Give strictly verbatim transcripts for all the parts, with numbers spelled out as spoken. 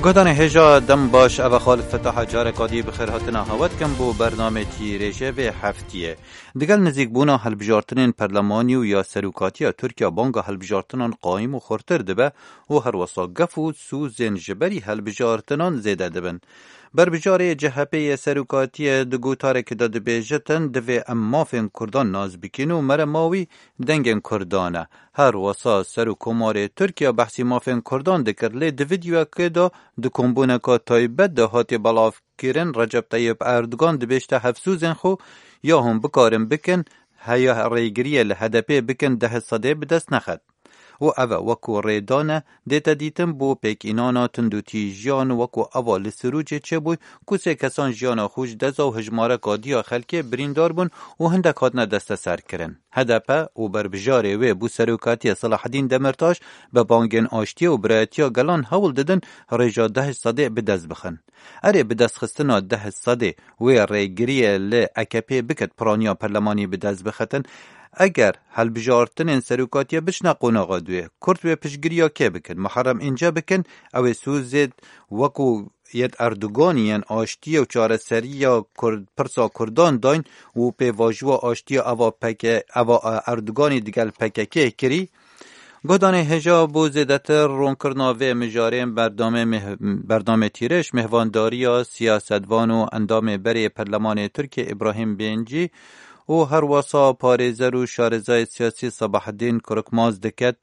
Guhdarên hêja dem baş, eva Xalid Fetaha careka dî bi xêr hatina hewa dikim bo bernamê tîrêjê vê heftiyê. Digel nizîkbûna hilbijartinên perlemanî û ya serokatiya Tirkiye banga hilbijartinan qayîm û xurtir dibe û herwesa gef û sûzên ji berî hilbijartinan zêde dibin. Berbijarê C H P yê serokatiyê di gotarekê de dibêjitin, divê em mafên Kurdan nas bikin û merema wî dengên Kurdan e. Her wesa Serokkomarê Tirkiye behsî mafên Kurdan dikir, lê di vîdeoyekê de di kombûneka taybet de hatiye belavkirin, Recep Tayyip Erdogan dibêjte hevsûzên xwe ya hûn bikarin bikin, heya rêgiriyê li H D P bikin, deh sedê bi dest nexet. Û ev e wekû rêdan e, dête dîtin bo pêkînana tundûtîjiyan wekû eva li Sirûcê çêbûy, ku sê kesan jiyana xwe ji dest da û hijmareka diya xelkê birîndar bûn û hindek hatine desteserkirin. H D P û berbijarê wê bo serokatiyê Selahaddîn Demirtaş bi bangên aştiyê û birayetiya gelan hewl didin rêja deh sedê bi dest bixin. Erê, bi destxistina deh sedê wê rêgiriyê li A K P bikit piraniya perlemanî bi dest bixitin. Eger hilbijartinên serokatiyê biçine qonaxa duê, Kurd wê piştgiriya kê bikin? Muharrem Înce bikin, ew ê sûzê wekû yêt Erdoganî yên aştiyê û çareseriya Kurd, pirsa Kurdan dayn û pêvajoya aştiya eva P K, eva, e, Erdoganî digel P K K kirî. Guhdarên hêja, bo zêdetir ronkirina vê mijarê berdamê meh-, berdamê tîrêj mêhvandariya siyasetvan û endamê berê Perlemanê Tirkiye Îbrahîm Bêncî û herwesa parêzer û şarezayê siyasî Sabahdîn Korkmaz diket.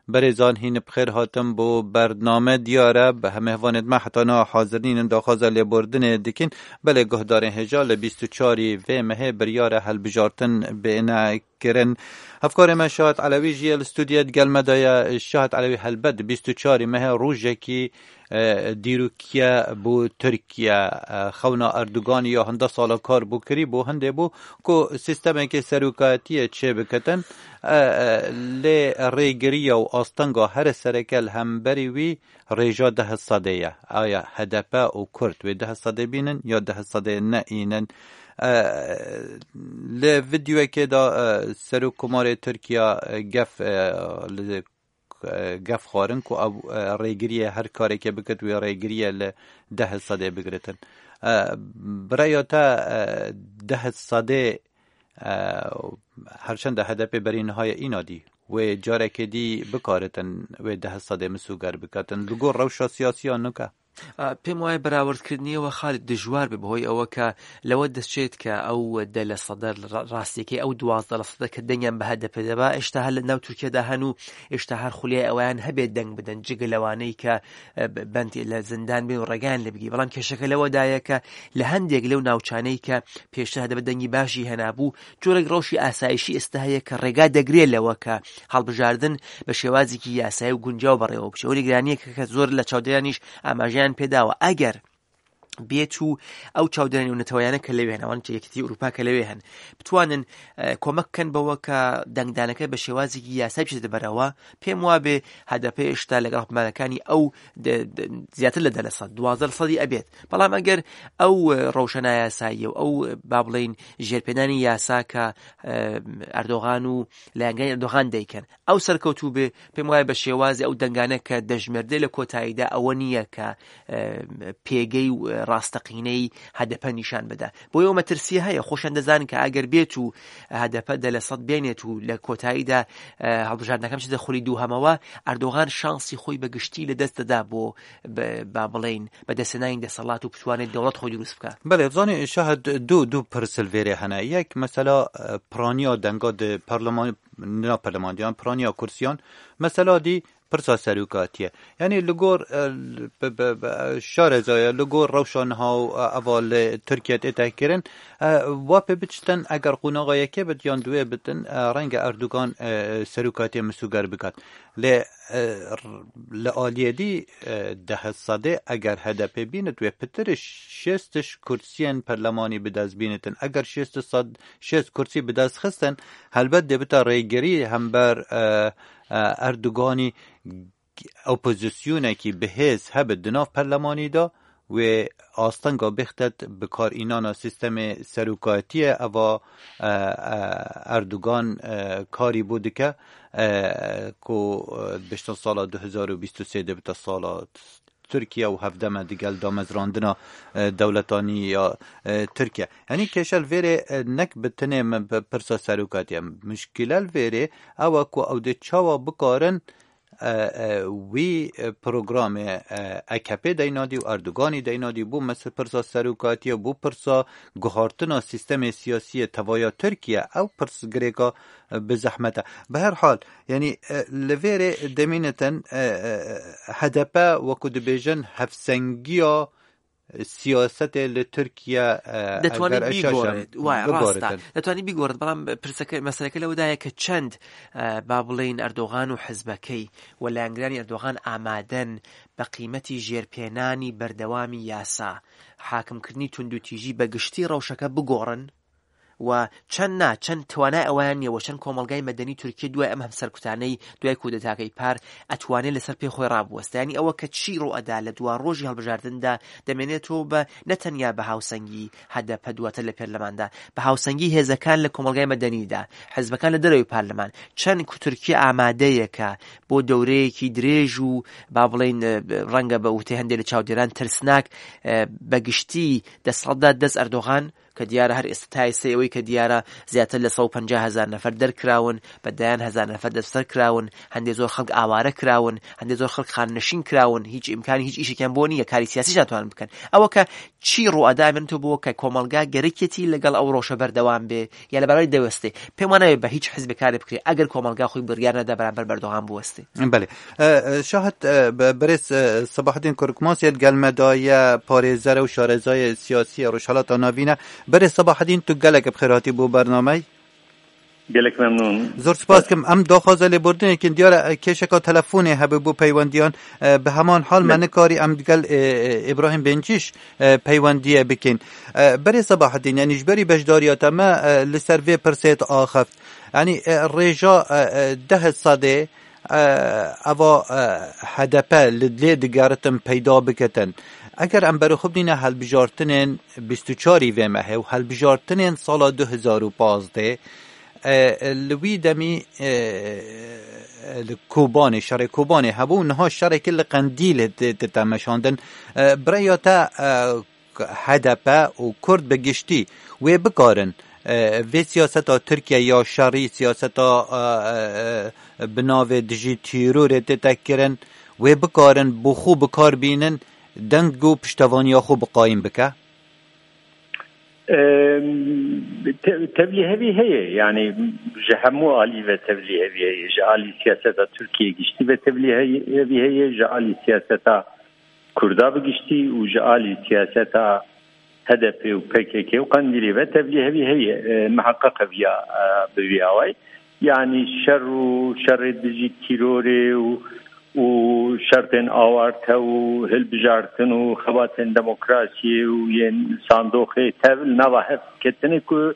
Berêzan, hîn bi xêr hatin bo bername. Diyar e, bi hemê hevanêt me heta niha hazir nînin, daxwaza lêbordinê dikin. Belê guhdarên hêja, li bîst û çarî vê mehê biryar e hilbijartin bêne kirin. Hevkarê me Şahat Elewî jî ye li stûdiyê, di gel me de ye. Şahat Elewî, helbet bîst û çarî mehê rojekî, e, dîrokî ye bo Tirkiye. E, xewna Erdoganî ya hinde sala kar bû kirî bo hindê bû ku sîstemekê serokatiyê çêbikitin. E, e, lê rêgiriya û astenga here sereke li hemberî wî rêja deh sedê ye. Aya H D P û Kurd wê deh sedê bînin ya deh sedê neînin? E, li vîdeoyekê de, e, Serokkomarê Tirkiye, e, gef, e, li, e, gef xwarin ku ew, e, rêgiriyê her karekê bikit, wê rêgiriyê li deh sedê bigiritin. E, bi rêya te, e, deh sedê, e, herçend H D P berî niha ye, îna dî wê carekê dî bikaritin wê deh sedê misûger bikatin. Li gor rewşa siyasî ya nûke. ئە، پێم وایە بەراوردکردنیەوە، خالد، دژوار بێ، بەهۆی ئەوە کە لەوە دەچێت کە ئەو دە لە سەدە ڕا-، ڕاستیەکەی، ئەو دوازدە لە سەدە کە دەنگیان بە هەدەپێ دەبا، ئێشتا هەر لە ناو تورکیادا هەن و ئێشتا هەر خولیای ئەوەیان هەبێت دەنگ بدەن، جگە لەوانەی کە، ئە، ب-، بەند لە زیندان بێ و ڕێگەیان لێ بگی. بەڵام کێشەکە لەوەدایە کە لە هەندێک لەو ناوچانەی کە پێشتر هەدەپە دەنگی باشی هەنابوو، جۆرێک ڕەوشی ئاسایشی ئێستا هەیە کە ڕێگا دەگرێت لەوە کە هەڵبژاردن بە شێوازێکی یاسایی و گونجاو بەڕێوە بچێت. ئەو نیگرانییەکە کە زۆر لە چاودێرانیش ئاماژەیان پێداوە، ئەگەر بێت و ئەو چاودێرانی و نەتەوەیانە کە لەوێ هەن، ئەوان کە یەکێتی ئەوروپا کە لەوێ هەن، بتوانن، ئە، کۆمەک بکەن بەوە کە دەنگدانەکە بە شێوازێکی یاسایی بچێتە بەرەوە، پێم وابێ هەدەپە هێشتا لەگەڵ هەڵپەمانەکانی ئەو دە-، دە-، زیاتر لە دە لە سەد، دوازدە لە سەدی ئەبێت. بەڵام ئەگەر ئەو، ئە، ڕەوشە نایاساییە و ئەو، ئە، با بڵێن ژێرپێدانی یاسا کە، ئە، ئەردۆغان و لایەنگەی ئەردۆغان دەیکەن، ئەو سەرکەوتوو بێ، پێم وایە بە شێوازی ئەو دەنگانە کە دەژمێردێ لە کۆتاییدا ئەوە نییە کە، ئە، پێگەی و ڕاستەقینەی هەدەپە نیشان بدا. بۆیە ئەو مەترسیە هەیە. خۆشیان دەزانن کە ئەگەر بێت و هەدەپە دە لە سەد بێنێت و لە کۆتاییدا، ئە، هەڵبژاردنەکەم چێتە خولی دووهەمەوە، ئەردۆغان شانسی خۆی بە گشتی لە دەست دەدا بۆ، بە-، با بڵێن، بەدەستهێنانی دەسەڵات و بتوانێت دەوڵەت خۆی دروست بکات. Belê, zanî Şahed, du, du pirs li vêrê hene. Yek, mesela, e, piraniya denga di parleman-, na parlemandiyan, piraniya kursiyan. Mesela dî pirsa serokatiye. Yanî li gor, e, bi, bi, bi, şarezaya, li gor rewşa niha û, e, eva li Tirkiye tête kirin, e, wa pê biçitin, eger qonaxa yekê bit yan duwê bitin, e, renge Erdogan, e, serokatiye misûger bikat. Lê, e, r-, li aliyê dî, e, deh sedê eger H D P bînit, wê pitir şêst kursiyên perlemanî bi dest bînitin. Eger şêst sed, şêst kursî bi dest xistin, helbet dê bita rêgirî hember, e, e, Erdoganî. Opozisyonekî bi hêz hebit di nav perlemanî de, wê astenga bixtet bi kar înana sîstemê serokatiyê eva, e, e, Erdogan, e, karî bo dike, e, ku, e, biştin sala du hezar û bîst û sê de bite sala Tirkiye û hevdem e digel damezrandina, e, dewletanî ya, e, Tirkiye. Yanî kêşe li vêrê, e, nek bi tinê min bi pirsa serokatiye. Mişkile li vêrê ew e ku ew dê çawa bikarin, e, e, wî, e, programê, e, A K P deynadî û Erdoganî deynadî bû mes-, pirsa serokatiye, bû pirsa guhartina sîstemê siyasî yê tevaya Tirkiye. Ew pirs girêka, e, bi zehmet e. Bi her hal, yanî, e, li vêrê demînitin, e, e, H D P wekû dibêjin hevsengiya siyasetê li Tirkiye, e, دەتوانێت eger eşaşan بیگۆڕێت. وایە، ڕاستە. بگۆڕێتن. دەتوانێت بیگۆڕێت، بەڵام پرسەکە، مەسەلەکە لەوەدایە کە چەند، ئە، با بڵێن ئەردۆغان و حزبەکەی و لایەنگرانی ئەردۆغان ئامادەن بە قیمەتی ژێرپێنانی بەردەوامی یاسا، حاکمکردنی توندوتیژی بە گشتی ڕەوشەکە بگۆڕن و چەند نا، چەند توانای ئەوەیان نییە و چەند کۆمەڵگای مەدەنی تورکیە دوای ئەم هەمسەرکوتانەی دوای کودەتاکەی پار ئەتوانێت لەسەر پێ خۆی ڕابوەستێ. یعنی ئەوە کە چی ڕوو ئەدا لە دوا ڕۆژی هەڵبژاردندا دەمێنێتەوە بە نە تەنیا بە هاوسەنگی هەدەپە دواتر لە پەرلەماندا، بە هاوسەنگی هێزەکان لە کۆمەڵگای مەدەنیدا، حزبەکان لە دەرەوەی پارلەمان، چەند کو تورکیا ئامادەیە کە بۆ دەورەیەکی درێژ و با بڵێن، ڕەنگە بە وتەی هەندێک لە چاودێران ترسناک، بە گشتی دەسەڵاتدا دەست ئەردۆغان کە دیارە هەر ئێستا تا ئێستا ئەوەی کە دیارە زیاتر لە سەد و پەنجا هەزار نەفەر دەرکراون، بە دەیان هەزار نەفەر دەستبەسەر کراون، هەندێک زۆر خەڵک ئاوارە کراون، هەندێک زۆر خەڵک خاننشین کراون، هیچ ئیمکانی هیچ ئیشێکیان بۆ نییە کاری سیاسیش ناتوانن بکەن. ئەوە کە چی ڕوو ئەدا ئەمێنێتەوە بۆ کە کۆمەڵگا گەرەکێتی لەگەڵ ئەو ڕۆژە بەردەوام بێ یا لە بەرای دەوەستێ؟ پێم وانە بە هیچ حزبێک کارێ بکرێ ئەگەر کۆمەڵگا خۆی بڕیار نەدا بەرامبەر بەردەوام بوەستێ. بەێ. ئە، ئە، شاهد، ئە، بە-، بەرێز، ئە، سەباحدین کورکماس یە گەلمەدایە پارێزەرە و شارەزایە سیاسیە ڕۆژهەڵاتا ناڤینە. بەرێز سەباحدین، تو گەلەکە بخێراتی بۆ بەرنامەی. گەلێک مەمنون. زۆر سپاس کەم. ئەم داخوازە لێبوردنێکن دیارە، ئە، کێشەکە تەلەفۆنێ هەبێ بۆ پەیوەندیان، ئە، بە هەمان حال مە نکاری ئەم گەل، ئێ، ئێ، ئیبراهیم بنجیش، ئە، پەیوەندیە بکەین. ئە، بەرێز سەباحدین، یعنی ژبەری بەشداریاتە مە، ئە، لەسەر vê pirsê axeft. یعنی، ئە، ڕێژا، ئە، ئە، دە سەدێ، ئە، ئەوا، ئە، H D P li lê digeritin peyda bikitin. Eger em berê xwe bidîne helbijartinên bîst û çarî vê mehê û helbijartinên sala du hezar û pazdeh, e, li wî demî, e, li Kobanê, şerê Kobanê hebû, niha şerekî li Qendîlê di-, dite meşandin. E, bi rêya te, e, H D P û Kurd bi giştî wê bikarin, e, vê siyaseta Tirkiye ya şerî, siyaseta, e, e, e, bi navê dijî tîrorê tête kirin, wê bikarin bo xwe bi kar bînin, deng û piştevaniya xwe bi qayîm bike? Em, te-, tevlîhevî heye, yani ji hemû alî ve tevlîhevî heye, ji alî siyaseta Tirkiye giştî ve tevlîhevî heye, ji alî siyaseta Kurda bi giştî û ji alî siyaseta H D P û P K K û Qendîlê ve tevlîhevî heye. E, miheqeq e viya, e, bi vî awayî. Yanî şer û şerê dijî tîrorê û, û şertên awarte û hilbijartin û xebatên demokrasiyê û yên sandoxê tev li nava hev ketine ku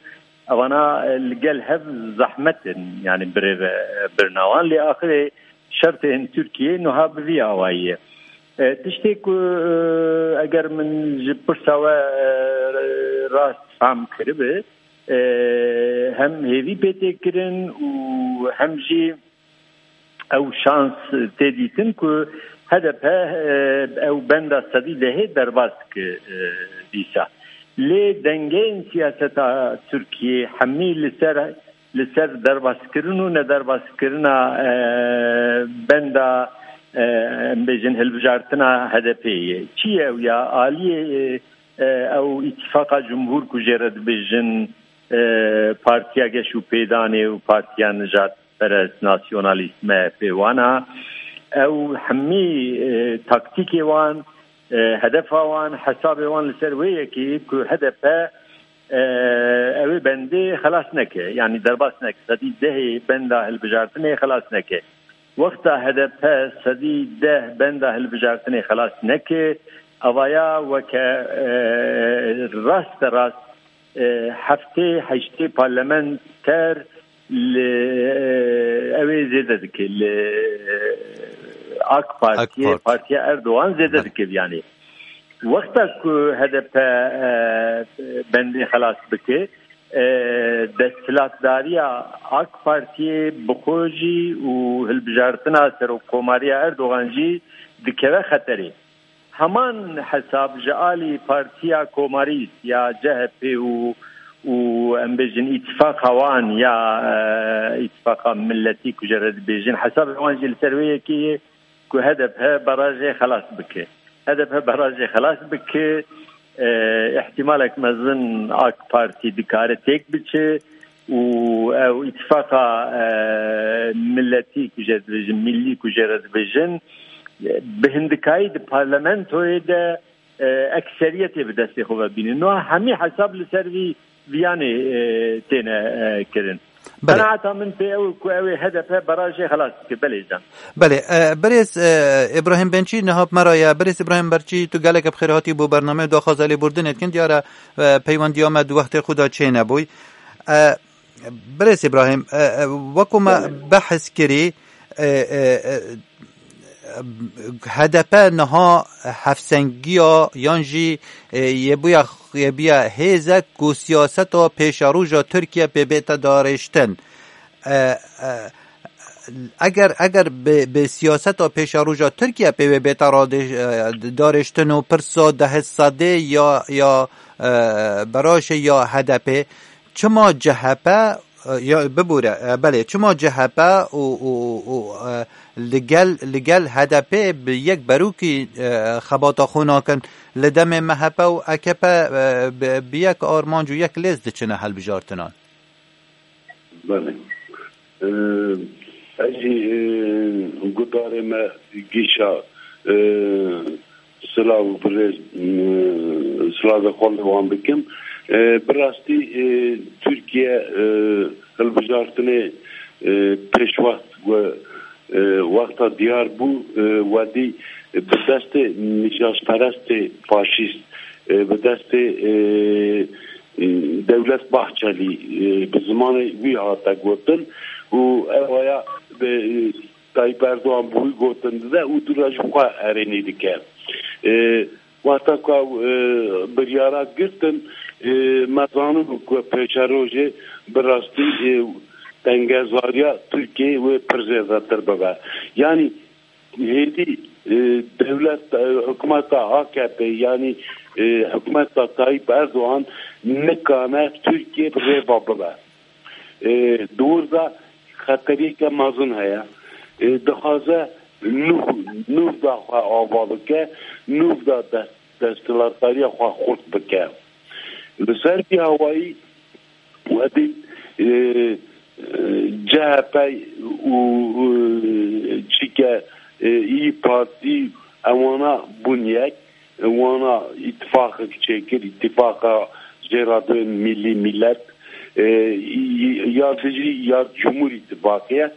evana, e, li gel hev zehmet in, yanî birêve, e, birina wan. Lê axirê şertên Tirkiyê nuha bi vî awayî ye. E, tiştê ku, e, eger min ji pirsa we, e, rast fam kiribe, e, hem hêvî pê tê kirin û hem jî ew şans tê dîtin ku H D P, e, ew benda sedî dehê derbas dike, e, dîsa. Lê dengeyên siyaseta Tirkiyê hemî li ser, li ser derbaskirin û nederbaskirina, e, benda, e, em bêjin hilbijartina H D P'ê ye. Çi ye ew ya? Aliyê, e, ew îtîfaqa cumhur ku jê re dibêjin, e, Partiya Geş û Pêdanê û Partiya Nijad perest, nasyonalîst, M H P wana. Ew hemî, e, taktîkê wan, e, hedefa wan, hesabê wan li ser wê yekê ku H D P, e, ew ê bendê xelas neke, yanî derbas neke. Sedî dehê benda hilbijartinê xelas neke. Wexta H D P sedî deh benda hilbijartinê xelas neke, avaya weke, e, raste rast e, heftê heştê parlamenter li, e, ew ê zêde dike, li, e, AK Partiyê, AK Parti. Partiya Erdogan zêde Bele. Dike, yanî. Wexta ku H D P, e, bendê xelas bike, e, desthilatdariya AK Partiyê bi xwe jî û hilbijartina serokkomariya Erdogan jî dikeve xeterê. Heman hesab ji alî Partiya Komarîst ya C H P û û em bêjin îtifaqa wan ya, e, îtifaqa milletî ku jê re dibêjin, hesabê wan jî li ser wê yekê ye ku H D P barajê xelas bike. H D P barajê xelas bike, e, ihtimalek mezin AK Partî dikare têk biçe û ew îtifaqa, e, milletî ku jê re dibêjin, millî ku jê re dibêjin, e, bi hindikayî di parlamentoyê de e, ekseriyetê bi destê xwe ve bîne. Niha hemî hesab li ser vî viyanê, e, têne, e, kirin. Belê. Qenaeta min pê ew e ku ew ê H D P barajê xelas bike. Belê can. Belê, e, birêz, e, Îbrahîm Bençî niha bi me re ye. Birêz Îbrahîm Bençî, tu gelek bi xêr hatî bo bernameyê, daxwaza lêbûrdinê dikin. Diyar e, e, peywendiya me di wextê xwe de çênebûy. E, Birêz Îbrahîm, e, e, wekû me Belê. behs kirî, e, e, e, H D P niha hevsengiya yan jî, e, yê bûya, yê bûya hêzek ku siyaseta pêşeroja Tirkiye pê bête darêştin. E, e, eger, eger bi, bi siyaseta pêşeroja Tirkiye pê wê bête radê-, e, darêştin û pirsa dehê sedê ya, ya, e, beraşê ya H D P, çima C H P, e, ya, bibûre, e, belê, çima C H P û, û, û, e, li gel, li gel H D P bi yek berûkî, e, xebata xwe nakin, li demê M H P û A K P, e, bi, bi yek armanc û yek lêz diçine hilbijartinan? Belê. E, ez jî, e, guhdarê me Gîşa, e, silav û birêz, e, silavê xwe li wan bikim. E, bi rastî, e, Tirkiye, e, hilbijartinê, e, pêşwext we, e, wexta diyar bû, e, wedî bi destê nîjasperestê faşîst, e, bi destê, e, e, Dewlet Bahçelî, e, bi zimanê wî hate gotin û ew aya bi, e, Tayyip Erdogan bi wî gotin dide û dûra ji xwe erênî dike. E, wexta ku ew, e, biryara girtin, e, me zanibû ku pêşerojê bi rastî, e, tengezariya Tirkiyeyê wê pir zêdetir bibe. Yanî hêdî, e, dewlet, e, hikûmeta A K P, yanî, e, hikûmeta Tayyip Erdogan nikane Tirkiye bi rêva bibe. E, di wir de xeteriyeke mezin heye. E, dixwaze nû, nû da xwe ava bike, nû da dest, desthilatdariya xwe xurt bike. Li ser vî hawayî, we dît, e, e, C H P û, e, çike, e, İYİ Parti ewana bûn yek, wana îtifaqek çêkir, îtifaqa jêradwên milî millet, e, ya dijî ya Cumhur Îtifaqê ye.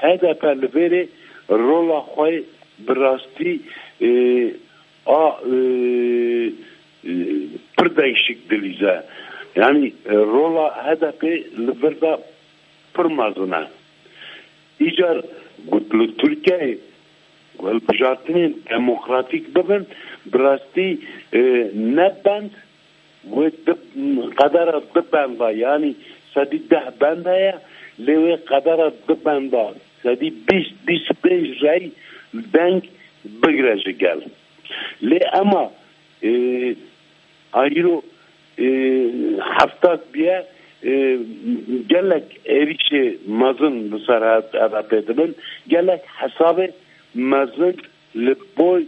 H D P li vêrê rola xwe bi rastî, e, a, e, e, pir değişik dilîze. Yanî, e, rola H D P li vir de pir mezin e. Îcar got li Tirkiyeyê hilbijartinên demokratîk bibin, bi rastî, e, ne bend, wê di, qedera di benda, yanî sedî deh bend heye, lê wê qedera di benda, sedî bîst, bîst pênc rey deng bigire ji gel. Lê ema, e, a îro, e, hefta biye, e, gelek êrîşê mezin li ser H D P dibin, gelek hesabê mezin li boy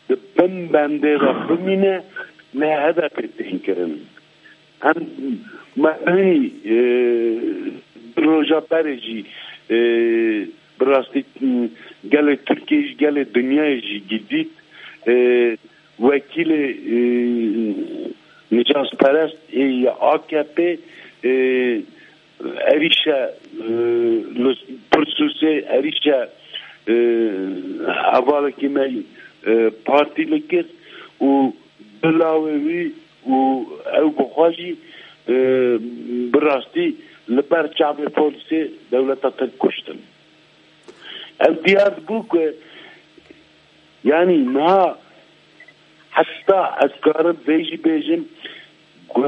di bin bendê de bimîne, li H D P tên kirin. Em me hinî, e, du roja berê jî, e, bi rastî, e, gelê Tirkiyê jî, gelê dinyayê jî dît, e, wekîlê, e, nicasperest ê ya A K P, e, êrîşe, e, li Pirsûsê êrîşe, e, hevalekî me, e, partî li kir û bi lawê wî û ew bi xwe jî, e, bi rastî li ber çavê polîsê dewleta Tirk kuştin. Ev diyar dibû ku, yanî niha heta ez karim vê jî bêjim ku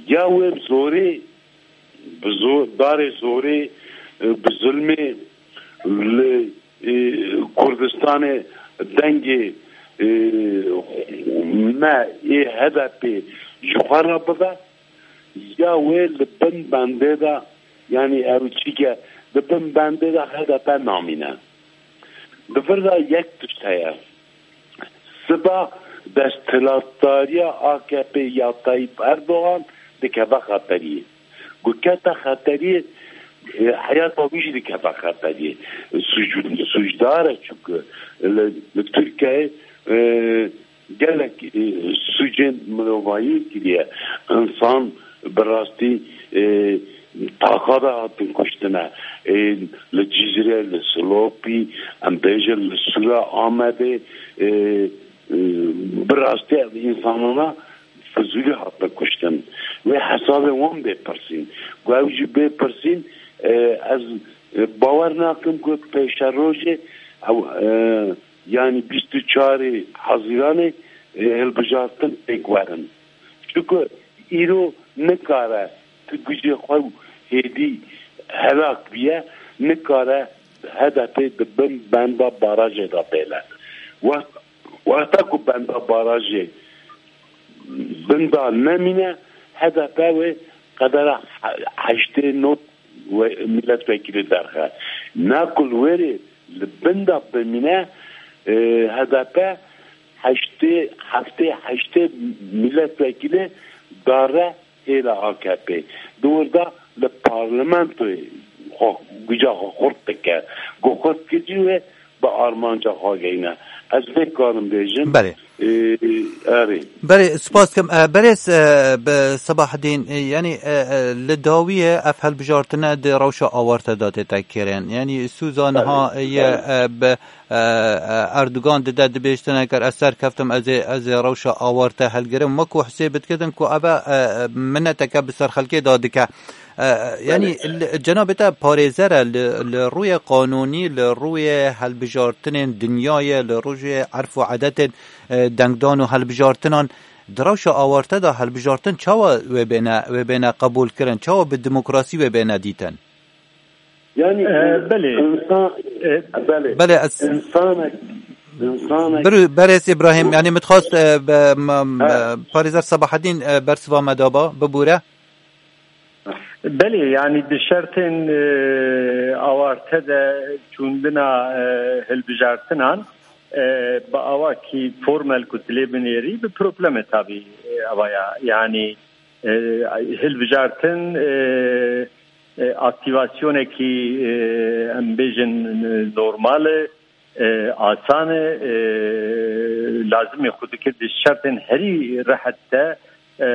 ya wê bi zorê, bi zo-, darê zorê, e, bi zulmê li, e, Kurdistanê dengê, e, me ê H D P ji xwe re bibe, ya wê li bin bendê de, yanî ew çîke di bin bendê de H D P namîne. Di vir de yek tişt heye. Siba desthilatdariya A K P ya Tayyip Erdogan dikeve xeteriyê. Ku kete xeteriyê, e, heyata wî jî dikeve xeteriyê. Suc-, sucdar e, çünkü li, li Tirkiyeyê, e, gelek, e, sucên mirovahiyê kiriye. Însan bi rastî, e, taxa de hatin kuştine. E, li Cizre, li Silopî, em bêjin li Sûra Amedê, e, e, bi rastî ev însanana Fizûlî hatine kuştin. Wê hesabê wan bê pirsîn. Ku ew jî bê pirsîn, e, ez, e, bawer nakim ku pêşerojê ew, e, yanî bîst û çarê Hezîranê, e, hilbijartin pêk werin. Çunku îro nikare tu gucê xwe û hêdî helak biye, nikare H D P di bin benda barajê de bêle. Wext-, wexta ku benda barajê bin de nemîne, H D P wê qedera he-, heştê nod we-, milletvekilî derxe. Na ku li wêrê li bin de bimîne, e, H D P heştê, heftê, heştê milletvekilî dare hêla A K P. Di wir de li parlamentoyê xwe, guca xwe xurt dike. Ku xurt kir jî wê bi armanca xwe geyne. Ez vê karim bêjim. Belê. Ee, erê. Belê, spas dikim. Ee, berêz, ee, bi Sebahedîn, ee, yanî, ee, ee, li dawiyê ev hilbijartine di rewşa awarte de tête kirin. Yanî Sûza niha, belê, ye, belê, ee, bi, ee, ee, Erdogan dide dibêjtine ker ez serkeftim, ez ê, ez ê rewşa awarte hilgirim. Wekû hesê bidkitin ku ev e, ee, mineteke bi ser xelkê de dike. E, yanî, belê, li, cenabê te parêzer e, li, li rûyê qanûnî, li rûyê hilbijartinên dinyayê, li rûyê erf û edetên, e, dengdan û hilbijartinan, di rewşa awarte de hilbijartin çawa wê bêne, wê bêne qebûl kirin, çawa bi demokrasî wê bêne dîtin? Yanî, e, belê, insan, e, belê, belê, ez, insanek, insanek, Berêz Îbrahîm, yanî, min dixwest, e, be, me, me, parêzer Sebahedîn, e, bersiva me daba, bibûre. Belê, yanî di şertên, e, awarte de çûndina, e, hilbijartinan, e, bi awakî formel ku tu lê binêrî, bi probleme tabî, e, avaya. Yanî, e, hilbijartin, e, e, aktîvasyonekî, e, em bêjin, e, normal e, e, asan e, e, lazimê xwe dikir di şertên herî rehet de, e,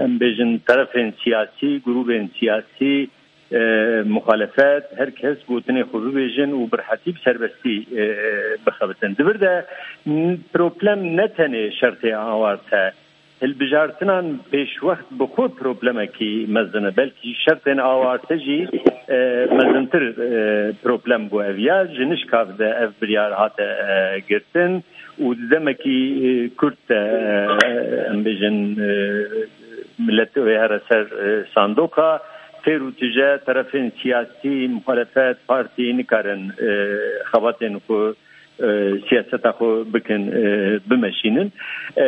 em bêjin terefên siyasî, grûbên siyasî, e, muxalefet, her kes gotinê xwe bibêjin û bi rehetî bi serbestî, e, bixebitin. Di vir de n-, problem ne tenê şertê awarte, hilbijartinan pêşwext bi xwe problemekî mezin e. Belkî şertên awarte jî, e, mezintir, e, problem bû ev ya. Ji nişka de ev biryar hate, e, girtin û di demekî, e, kurt de, e, em bêjin, e, millet wê here ser, e, sandoka. Têr û tije terefên siyasî, muxalefet, partî nikarin, e, xebatên xwe e, siyaseta xwe bikin, e, bimeşînin. E,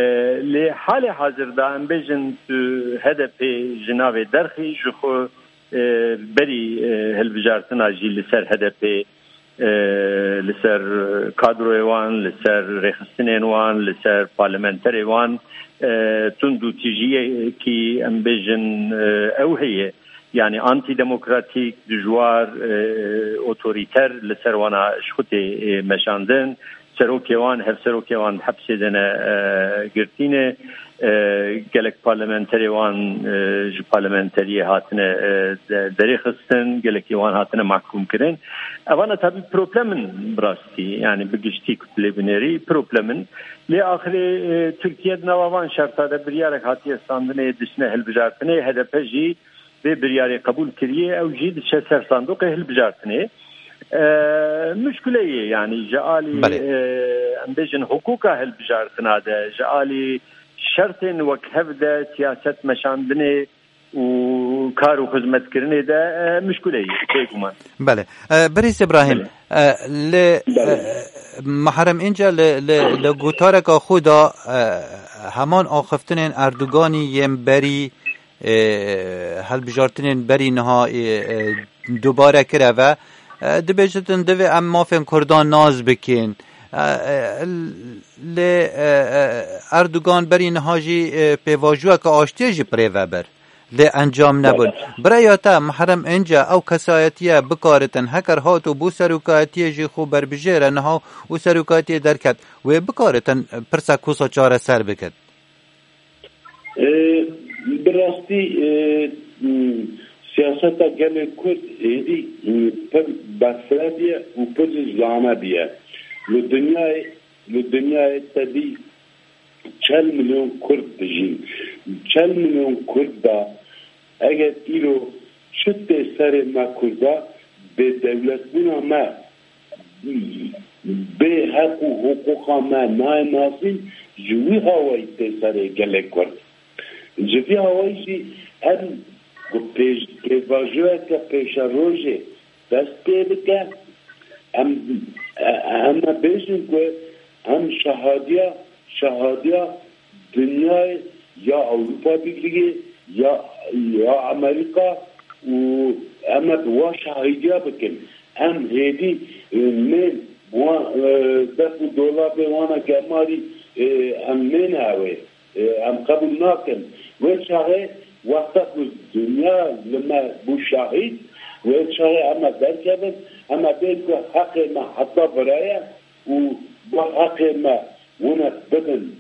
lê halê hazir de em bêjin tu H D P ji navê derxî, ji xwe, e, berî, e, hilbijartina jî li ser H D P, e, li ser kadroyê wan, li ser rêxistinên wan, li ser parlamenterê wan, e, tund û tijiyekî em bêjin, e, ew heye. Yanî antîdemokratîk, dijwar, e, otorîter li ser wana ji xwe tê, e, meşandin. Serokê wan, hevserokê wan hepsê de ne, e, girtî ne. E, gelek parlamenterê wan, e, ji parlamenteriyê hatine, e, de-, derê xistin, gelekî wan hatine mahkûm kirin. Evana tabî problem in bi rastî, yanî bi giştî ku tu lê binêrî problem in. Lê axirê, e, Tirkiye di nava van şerta de biryarek hatiye standinê, diçine hilbijartinê, H D P jî vê biryarê qebûl kiriye, ew jî diçe ser sandoqê hilbijartinê. E, muşkile ye, yanî ji alî, belê, e, em bêjin hiqûqa hilbijartina de, ji alî şertên wek hev de siyaset meşandinê û kar û xizmetkirinê de, e, muşkile ye, bêguman. Belê. E, Birêz Îbrahîm, belê, e, li, belê, e, Mehrem Înce li, li, li gotareka xwe de, e, heman axiftinên Erdoganî yên berî, e, hilbijartinên berî niha, e, e, dubare kireve. E, dibêjitin divê em mafên Kurdan nas bikin. E, e, lê, e, e, Erdogan berî niha jî, e, pêvajoyeke aştiyê jî bi rê ve bir. Lê encam nebûn. Biraya te Mehrem Înce ew kesayetiye bikaritin, heker hat û bû serokayetiyê jî xwe berbijêre niha û serokayetiyê derket, wê bikaritin pirsek wisa çareser bikin? E, bi rastî, e, m, siyaseta gelê Kurd êdî, e, pir berfireh bûye û pir zane bûye. Li dinyayê, li dinyayê tedî çel milyon Kurd dijîn. Çel milyon Kurd da eger îro çi tê serê me Kurda, bêdewletbûna me, bê heq û hiqûqa me nayê nasîn, ji wî hawayî tê serê gelê Kurd. Ji vî hawayî jî em ku pêş-, pêvajoyeke pêşerojê dest pê bike, em, em bêjin ku em şahadiya, şahadiya dinyayê ya Ewropa Birlîgê, ya, ya Amerîka û em ê bi wan şahîdiya bikin. Em hêdî, e, nên bi wan, e, def û dolabê wana gemarî, e, em nên ew ê. E, em qebûl nakin. Wê çaxê wexta ku dinya li me bû şahîd, wê çaxê em ê derkevin, em ê bên ku heqê me heta viraye û bi heqê me wine bidin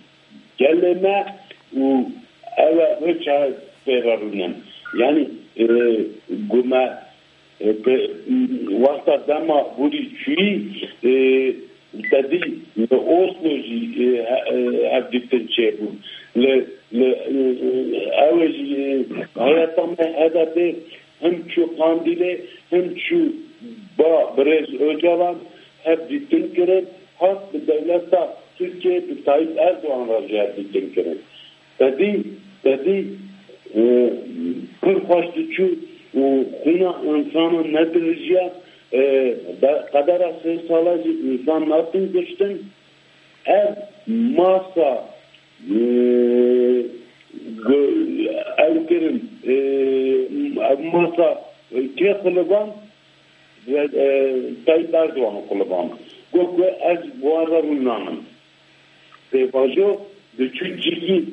gelê me û ew e wê çaxê pê re rûnin. Yanî, e, ku me E, pe-, wexta dema borî çûyî, e, te dî li Oslo jî, e, he-, e, hevdîtin çêbûn. Li, li, e, e, ew ê jî, e, heyeta me H D P him çû Qandîlê, him çû ba birêz Ocalan hevdîtin kirin, hat bi dewleta Tirkiyê bi Tayyip Erdogan re jî hevdîtin kirin. Tedî, tedî, e, pir xweş diçû û xwîna însanan nedirijiya, e, be-, qedera sê sala jî însan natin kuştin. Ev masa, e, go-, ew kirin, e, ev masa, e, kê xuliband? Ve, e, Tayyip Erdogan xuliband. Got ku ez bi wan re rûn nanim. Pêvajo diçû cîkî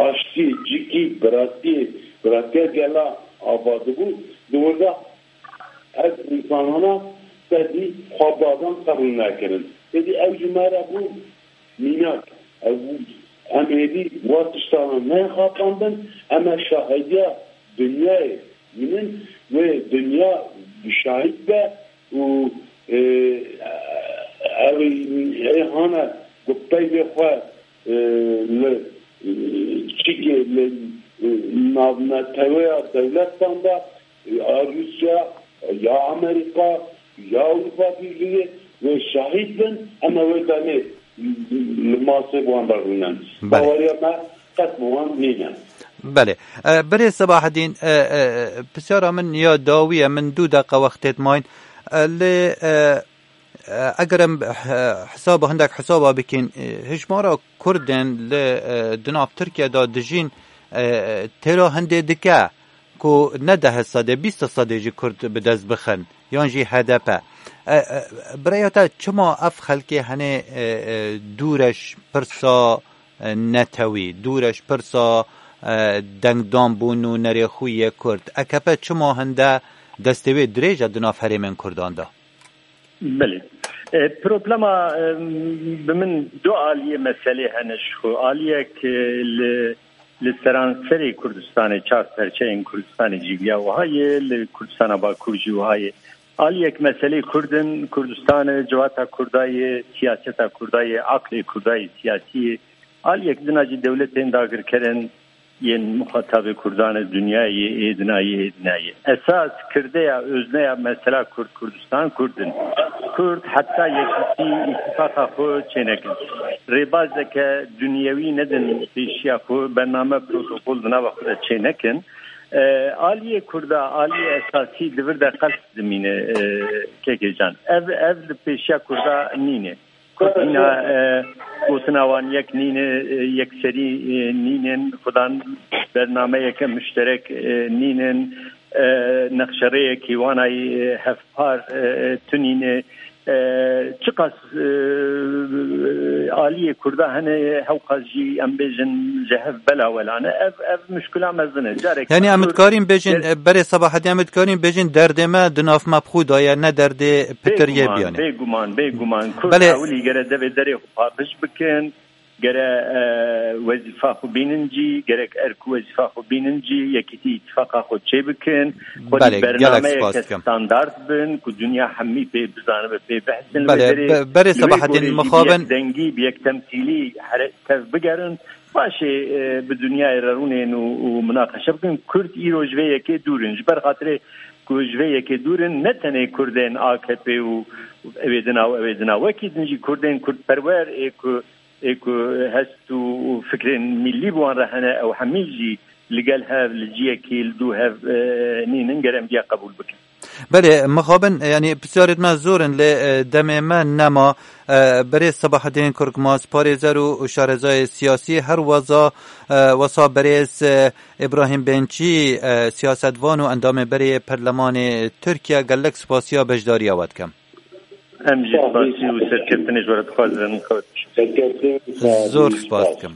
aştiyê, cîkî biratiyê, biratiya gela ava dibû, di wir de ev însanana tedî xwe badan qebûl nekirin. Tedî ew ji me re bû mînak. Ew, em êdî wa tiştana neyê xapandin, em e şahidiya dinyayê bînin, wê dinya şahid be û, e, ew ê hane ku peyvê xwe, e, li, e, çikê li, e, navneteweya dewletan de, e, ya Rûsya, ya Amerîka, ya Ewropa Birlîgê wê şahid bin, em ê wê demê li masê wan de rûnin. Belê. Baweriya me qet bi wan nîne. Belê. E, birêz Sebahedîn, e, e, pisyara min ya dawî ye, min du deqe wextê dimayîn. E, lê, e, e, eger em, e, hesaba, hindek hesaba bikin, e, hijmara Kurdên li, e, di nav Tirkiye de dijîn, e, têra hindê dike ku ne deh sedê, bîst sedê jî Kurd bi dest bixin, yan jî H D P. E, e, bi rêya te çima ev xelkê henê, e, e, dûr e ji pirsa, e, netewî, dûr e ji pirsa, e, dengdanbûn û nerêxûyê Kurd? A K P çima hinde destê wê dirêj e di nav herêmên Kurdan de? Belê. E, problema, e, bi min du aliyê meselê hene ji xwe. Aliyek, e, li, li seranserê Kurdistanê, çar perçeyên Kurdistanê jî viya wiha ye, li Kurdistana Bakur jî wiha ye. Aliyek meselê Kurd in, Kurdistan e, civata Kurda ye, siyaseta Kurda ye, aqlê Kurda ye, siyasî ye. Aliyek dina jî dewletên dagirker in, yên muxatabê Kurdan e, dinya ye, êdina ye, êdina ye. Esas kirdeya, özneya mesela Kurd, Kurdistan Kurd in. Kurd heta yekîtî, îtîfaqa xwe çênekin. Rêbazeke dinyewî nedin pêşiya xwe, bername, protokol di nava xwe de çênekin. E, aliyê Kurda, aliyê esasî di vir de qels dimîne, e, kekê can. Ev, ev li pêşiya Kurda nîne. Kurd hîna, e, gotina wan yek nîne, e, yekserî, e, nînin, xudan bernameyeke muşterek, e, nînin, e, nexşerêyekî wanayî, e, hevpar, e, tunîne, e, çiqas, e, aliyê Kurda hene, hewqas jî em bêjin ji hev bela welane. Ev, ev muşkila mezin e. Carek Yani em Kurd dikarîn bêjin, ger- e, berê Sebahedî, em dikarîn bêjin derdê me di nav me bi xwe de ye, ne derdê pitiriyê Bêguman, biyane. bêguman, bêguman. Kurd Belê. ewilî gere devê derê xwe paqij bikin, gere, e, wezîfa xwe bînin cî, gerek erk û wezîfa xwe bînin cî, yekîtî îtifaqa xwe çê bikin, xwe Belê, gelek dîbernameyeke spas dikim. standard bin, ku dinya hemî pê bizanibe, pê behsin. Belê, Li vê derê, be-, berê li wê Sebahedîn gorê jî bi mixabin. yek dengî, bi yek temsîlî here-, tev bigerin. Paşê, e, bi dinyayê re rûnên û, û minaqeşe bikin. Kurd îro ji vê yekê dûr in. Ji ber xatirê ku ji vê yekê dûr in, ne tenê Kurdên A K P û ewê dina û ewê dina. Wekî din jî Kurdên Kurdperwer ê ku, ê ku hest û, û fikrên millî bi wan re hene, ew hemî jî li gel hev, li ciyekî, li dû hev, e, nînin, ger em diya qebûl bikin. Belê, mixabin, yani, pisyarêt me zor in, lê, e, demê me nema. E, berê Sebahedîn Korkmaz, parêzer û şarezayê siyasî, her weza, e, wesa berêz, e, Îbrahîm Bençî, e, siyasetvan û endamê berê Perlemanê Tirkiye, gelek spasiya beşdariya we dikim. Em jî spasî û serkeftinê ji we re dixwazin. Serkeftin, Zor spas dikim.